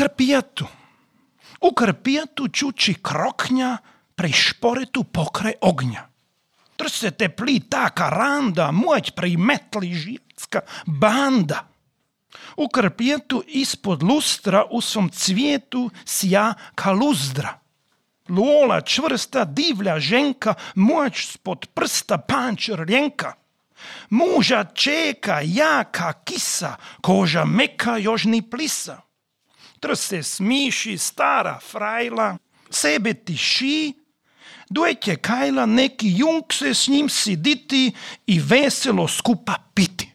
Karpijetu. U Karpijetu čuči kroknja prej šporetu pokraj ognja. Trse teplí tá karanda, môť primetli žijacká banda. U Karpijetu ispod lustra u svom cvijetu sja kaluzdra. Luola čvrsta divlja ženka, moć spod prsta panč rljenka. Muža čeka jaka kisa, koža meka još ni plisa. Trse smiši stara frajla, sebe tiši, dojte kajla neki jung se s njim siditi i veselo skupa piti.